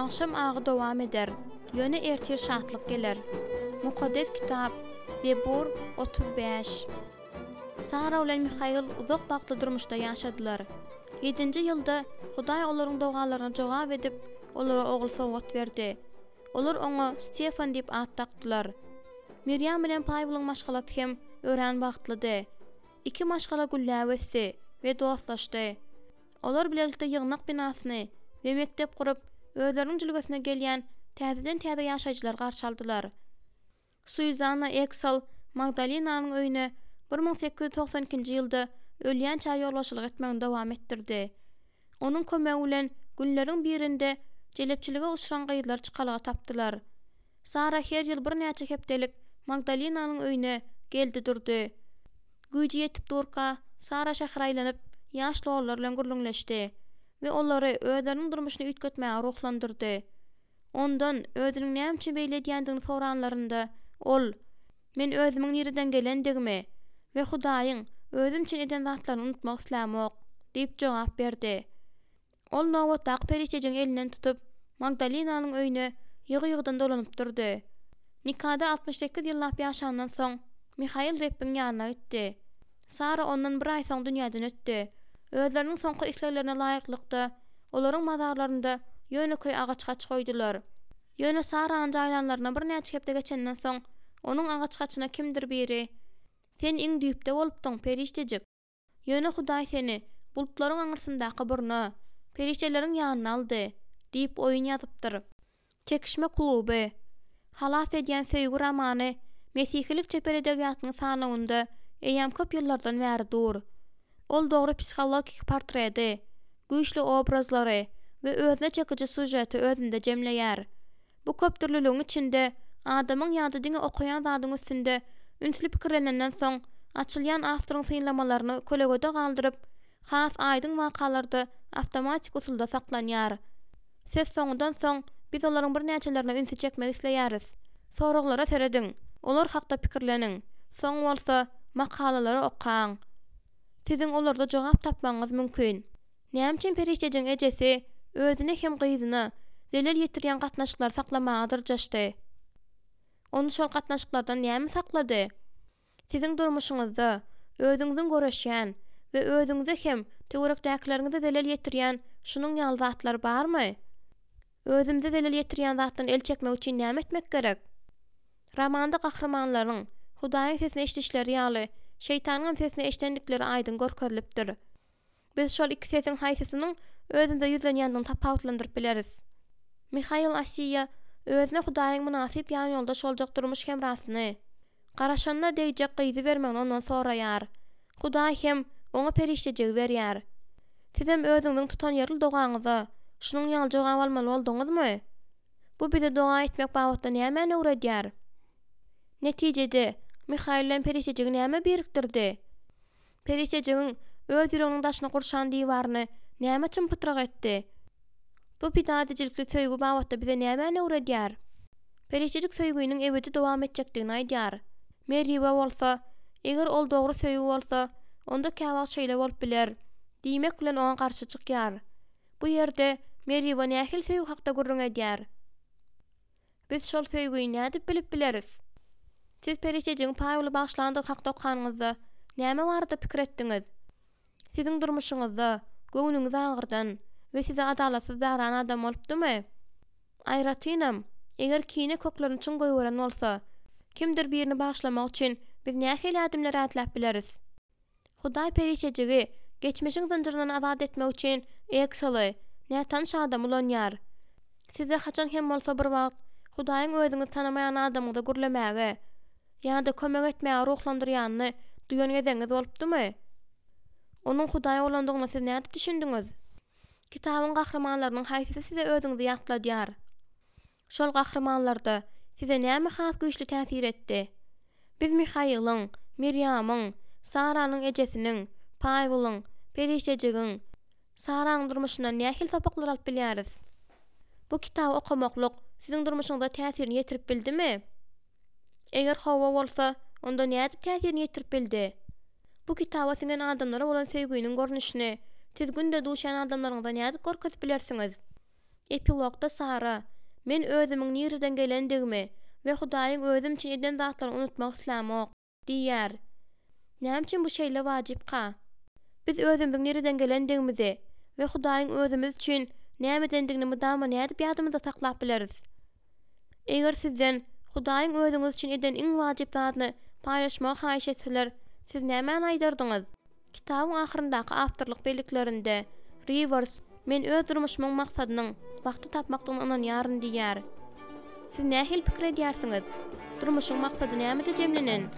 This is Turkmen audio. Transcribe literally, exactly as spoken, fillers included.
Agşam agy dowam eder, ýöne ertir şatlyk geler. Mukaddes Kitap, Zebur otuz bäş. Sara bilen Mihail uzak bagtly durmuşda ýaşadylar. Ýedinji ýylda Hudaý olaryň dogalaryna jogap edip, olara ogul sowgat berdi. Olar oňa Stefan diýip at dakdylar. Mirýam bilen Paweliň maşgalasy hem örän bagtlydy. Iki maşgala gülläp ösdi we dostlaşdy. Olar bilelikde ýygnak binasyny we mekdep gurup, özleriniň jülgesine gelýän täzeden-täze ýaşaýjylary garşy aldylar. Suýzanna Eksel Magdalinanyň öýüne bir müň sekiz ýüz togsan ikinji ýylda ölýänçä ýolbaşçylyk etmegini dowam etdirdi. Onuň kömegi bilen günleriň birinde jelepçilige uçran gyzlar çykalga tapdylar. Sara her ýyl birnäçe hepdelik Magdalinanyň öýüne geldi durdy. Güýji ýetip durka, Sara şähere aýlanyp, ýaş lollar bilen gürrüňleşdi we olary özleriniň durmuşyny üýtgetmäge ruhlandyrdy. Ondan özüniň näme üçin beýle edýändigini soranlarynda, ol, Men özümiň nireden gelendigimi we Hudaýyň özüm üçin eden zatlaryny unutmak islämok, diýip jogap berdi. Ol nobatdaky perişdejigiň elinden tutup, Magdalinanyň öýüne ýygy-ýygydan dolanyp durdy. Nikada altmyş sekiz ýyllap ýaşandan soň, Mihail Rebbiň ýanyna gitdi. Sara ondan bir aý soň dünýäden ötdi. Özleriniň soňky isleglerine laýyklykda, olaryň mazarlarynda ýönekeý agaç haç goýdular. Ýöne Sarany jaýlanlaryna birnäçe hepde geçenden soň, onuň agaç haçyna kimdir biri, Sen iň düýpde bolupdyň, perişdejik. Ýöne Hudaý seni bulutlaryň aňyrsyndaky burna, perişdeleriň ýanyna aldy, diýip oýun ýazypdyr. Çekişme kluby. Halas edýän söýgi romany mesihilik çeper edebiýatynyň sanawynda eýýäm köp ýyllardan bäri dur. Ol dogry psihologik portreti, güýçli obrazlary we özüne çekiji sýužeti özünde jemleýär. Bu köpdürlüligiň içinde adamyň ýa-da diňe okaýan zadyň üstünde ünsli pikirlenenden soň açylýan awtoryň synlamalaryny kölegede galdyryp, has aýdyň wakalarda awtomatik usulda saklanýar. Söz soňundan soň biz olaryň birnäçelerine ünsi çekmek isleýäris. Soraglara serediň, olar hakda pikirleniň, soň bolsa makalalary okaň. Siziň olarda jogap tapmagyňyz mümkin. Näme üçin perişdejigiň ejesi özüne hem gyzyna zelel ýetirýän gatnaşyklary saklamaga dyrjaşdy? Ony şol gatnaşyklardan näme saklady? Siziň durmuşyňyzda özüňiziň göreşýän we özüňize hem töwerekdäkileriňize zelel ýetirýän şunuň ýaly zatlar barmy? Özümize zelel ýetirýän zatdan el çekmek üçin näme etmek gerek? Romanda gahrymanlaryň Hudaýyň sesini eşidişleri ýaly, şeýtanyň hem sesini eşidendikleri aýdyň görkezilipdir. Biz şol iki sesiň haýsysynyň özümize ýüzlenýändigini tapawutlandyryp bileris. Mihail Asiýa özüne Hudaýyň mynasyp ýanýoldaş boljak durmuş hemrasyny, garaşanyna degjek gyzy bermegini ondan soraýar. Hudaý hem oňa perişdejigi berýär. Sizem özüňiziň tutanýerli dogaňyza şunuň ýaly jogap almaly bolduňyzmy? Bu bize doga etmek babatda nämäni öwredýär? Netijede, Mihail bilen perişdejigi näme birikdirdi? Perişdejigiň öz ýüreginiň daşyny gurşan diwaryny näme çym-pytrak etdi? Bu pida edijilikli söýgi babatda bize nämäni öwredýär? Perişdejik söýginiň ebedi dowam etjekdigini aýdýar. Meriba bolsa, eger ol dogry söýgi bolsa, onda käwagt şeýle bolup biler, diýmek bilen oňa garşy çykýar. Bu ýerde Meriba nähili söýgi hakda gürrüň edýär? Biz şol söýgini nädip bilip bileris? Siz perişdejigiň Pawely bagyşlandygy hakda okanyňyzda näme barada pikir etdiňiz? Siziň durmuşyňyzda göwnüňizi agyrdan we size adalatsyz daran adam bolupdymy? Aýratynam, eger kine köklerini çuň goýberen bolsa, kimdir birini bagyşlamak üçin biz nähili ädimleri ätläp bileris? Hudaý perişdejigi geçmişiň zynjyryndan azat etmek üçin Ekseli, nätanyş adamy ulanýar. Size haçan hem bolsa bir wagt Hudaýyň özüňizi tanamaýan adamyňyza gürlemäge ýa-da kömek etmäge ruhlandyrýanyny duýan gezegiňiz bolupdymy? Onuň Hudaý bolandygyna siz nädip düşündiňiz? Kitabyň gahrymanlarynyň haýsysy size özüňizi ýatladýar? Şol gahrymanlarda size näme has güýçli täsir etdi? Biz Mihailiň, Mirýamyň, Saranyň ejesiniň, Paweliň, perişdejigiň, Saranyň durmuşyndan nähili sapaklar alyp bilýäris? Bu kitaby okamaklyk siziň durmuşyňyza täsirini ýetirip bildimi? Eger hawa bolsa, onda nädip täsirini ýetirip bildi? Bu kitaba siňen adamlara bolan söýginiň görnüşini siz günde duşýan adamlaryňyza nädip görkezip bilersiňiz? Epilogda Sara, Men özümiň nireden gelendigimi we Hudaýyň özüm üçin eden zatlaryny unutmak islämok, diýýär. Näme üçin bu şeýle wajypka? Biz özümiziň nireden gelendigimizi we Hudaýyň özümiz üçin näme edendigini mydama nädip ýadymyzda saklap bileris? Eger sizden Hudaýyň özüňiz üçin eden iň wajyp zadyny paýlaşmagy haýyş etseler, siz nämäni aýdardyňyz? Kitabyň ahyryndaky awtorlyk belliklerinde Rivers Men öz durmuşymyň maksadynyň bagty tapmakdygyna ynanýaryn diýýär. Siz nähili pikir edýärsiňiz? Durmuşyň maksady nämede jemlenen?